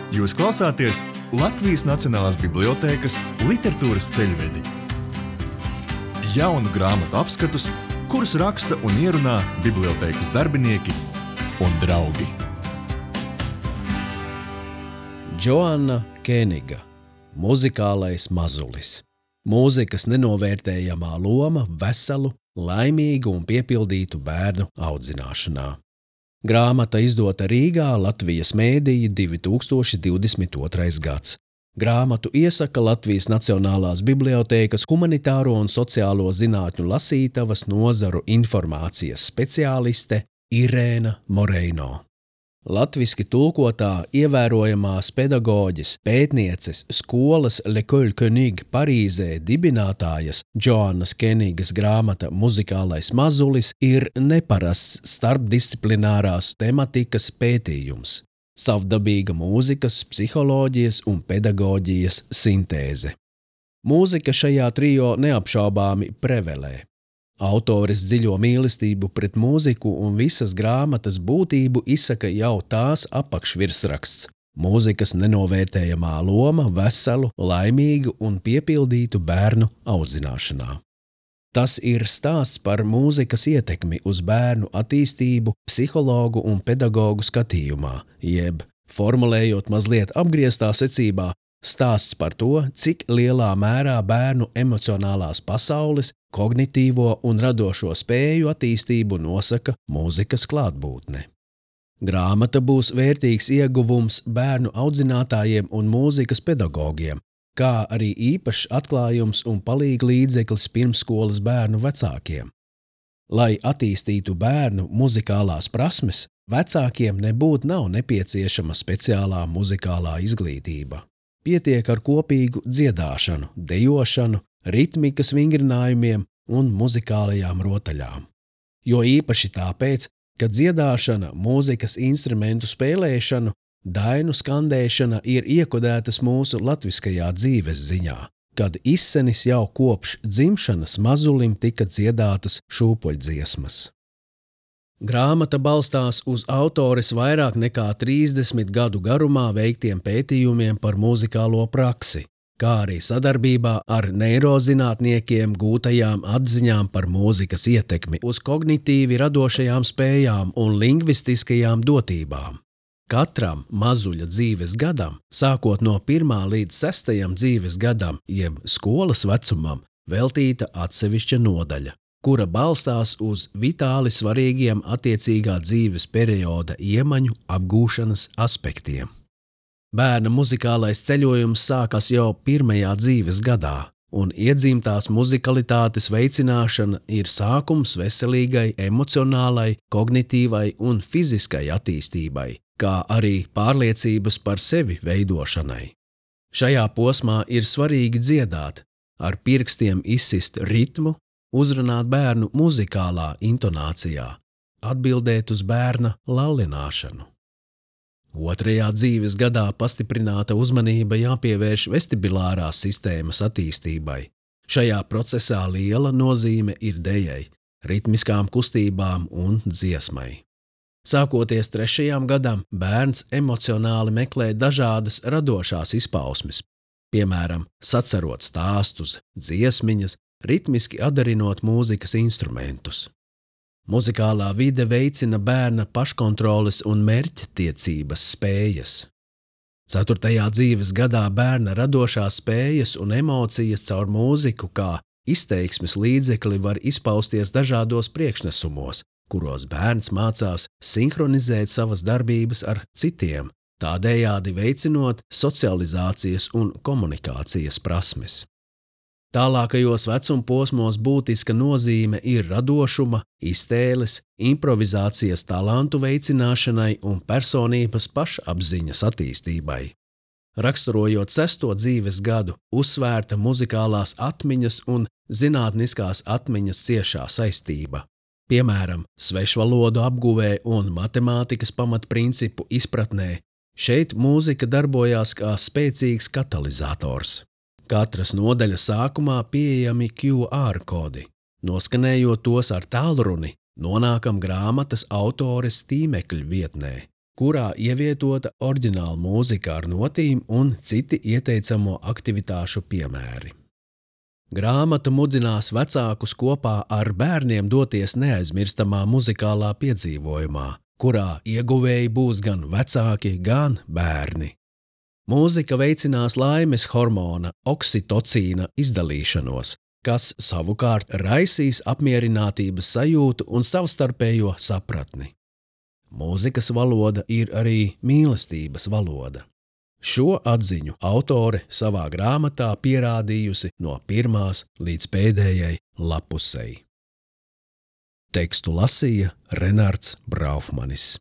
Jūs klausāties Latvijas Nacionālās bibliotēkas literatūras ceļvedi. Jaunu grāmatu apskatus, kurus raksta un ierunā bibliotēkas darbinieki un draugi. Džoanna Kēniga, muzikālais mazulis. Mūzikas nenovērtējamā loma veselu, laimīgu un piepildītu bērnu audzināšanā. Grāmata izdota Rīgā, Latvijas mēdīja 2022. gads. Grāmatu iesaka Latvijas Nacionālās bibliotēkas humanitāro un sociālo zinātņu lasītavas nozaru informācijas speciāliste Irēna Moreino. Latviski tulkotā ievērojamās pedagoģes, pētnieces, skolas L'École Kēniga Parīzē dibinātājas Džoannas Kēnigas grāmata Muzikālais mazulis ir neparasts starpdisciplinārās tematikas pētījums, savdabīga mūzikas, psiholoģijas un pedagoģijas sintēze. Mūzika šajā trio neapšaubāmi prevelē. Autores dziļo mīlestību pret mūziku un visas grāmatas būtību izsaka jau tās apakšvirsraksts – mūzikas nenovērtējamā loma veselu, laimīgu un piepildītu bērnu audzināšanā. Tas ir stāsts par mūzikas ietekmi uz bērnu attīstību psihologu un pedagogu skatījumā, jeb, formulējot mazliet apgrieztā secībā, stāsts par to, cik lielā mērā bērnu emocionālās pasaules, kognitīvo un radošo spēju attīstību nosaka mūzikas klātbūtne. Grāmata būs vērtīgs ieguvums bērnu audzinātājiem un mūzikas pedagogiem, kā arī īpašs atklājums un palīga līdzeklis pirmsskolas bērnu vecākiem. Lai attīstītu bērnu muzikālās prasmes, vecākiem nebūtu nav nepieciešama speciālā muzikālā izglītība. Pietiek ar kopīgu dziedāšanu, dejošanu, ritmikas vingrinājumiem un muzikālajām rotaļām. Jo īpaši tāpēc, ka dziedāšana, mūzikas instrumentu spēlēšana, dainu skandēšana ir iekodētas mūsu latviskajā dzīves ziņā, kad izsenis jau kopš dzimšanas mazulim tika dziedātas šūpoļdziesmas. Grāmata balstās uz autores vairāk nekā 30 gadu garumā veiktiem pētījumiem par muzikālo praksi, kā arī sadarbībā ar neirozinātniekiem gūtajām atziņām par mūzikas ietekmi uz kognitīvi radošajām spējām un lingvistiskajām dotībām. Katram mazuļa dzīves gadam, sākot no 1. līdz 6. dzīves gadam, jeb skolas vecumam, veltīta atsevišķa nodaļa, kura balstās uz vitāli svarīgiem attiecīgā dzīves perioda iemaņu apgūšanas aspektiem. Bērna muzikālais ceļojums sākas jau 1. dzīves gadā, un iedzimtās muzikalitātes veicināšana ir sākums veselīgai, emocionālai, kognitīvai un fiziskai attīstībai, kā arī pārliecības par sevi veidošanai. Šajā posmā ir svarīgi dziedāt, ar pirkstiem izsist ritmu, uzrunāt bērnu muzikālā intonācijā, atbildēt uz bērna lallināšanu. 2. dzīves gadā pastiprināta uzmanība jāpievērš vestibilārās sistēmas attīstībai. Šajā procesā liela nozīme ir dejai, ritmiskām kustībām un dziesmai. Sākoties 3. gadam, bērns emocionāli meklē dažādas radošās izpausmes, piemēram, sacerot stāstus, dziesmiņas, ritmiski atdarinot mūzikas instrumentus. Muzikālā vide veicina bērna paškontroles un mērķtiecības spējas. 4. dzīves gadā bērna radošās spējas un emocijas caur mūziku kā izteiksmes līdzekli var izpausties dažādos priekšnesumos, kuros bērns mācās sinhronizēt savas darbības ar citiem, tādējādi veicinot socializācijas un komunikācijas prasmes. Tālākajos vecumposmos būtiska nozīme ir radošuma, iztēles, improvizācijas talantu veicināšanai un personības pašapziņas attīstībai. Raksturojot 6. dzīves gadu, uzsvērta muzikālās atmiņas un zinātniskās atmiņas ciešā saistība. Piemēram, svešvalodu apguvē un matemātikas pamatprincipu izpratnē, šeit mūzika darbojās kā spēcīgs katalizators. Katras nodaļas sākumā pieejami QR kodi. Noskanējot tos ar tālruni, nonākam grāmatas autores tīmekļa vietnē, kurā ievietota oriģināla mūzika ar notīm un citi ieteicamo aktivitāšu piemēri. Grāmata mudinās vecākus kopā ar bērniem doties neaizmirstamā muzikālā piedzīvojumā, kurā ieguvēji būs gan vecāki, gan bērni. Mūzika veicinās laimes hormona oksitocīna izdalīšanos, kas savukārt raisīs apmierinātības sajūtu un savstarpējo sapratni. Mūzikas valoda ir arī mīlestības valoda. Šo atziņu autore savā grāmatā pierādījusi no pirmās līdz pēdējai lapusei. Tekstu lasīja Renards Braufmanis.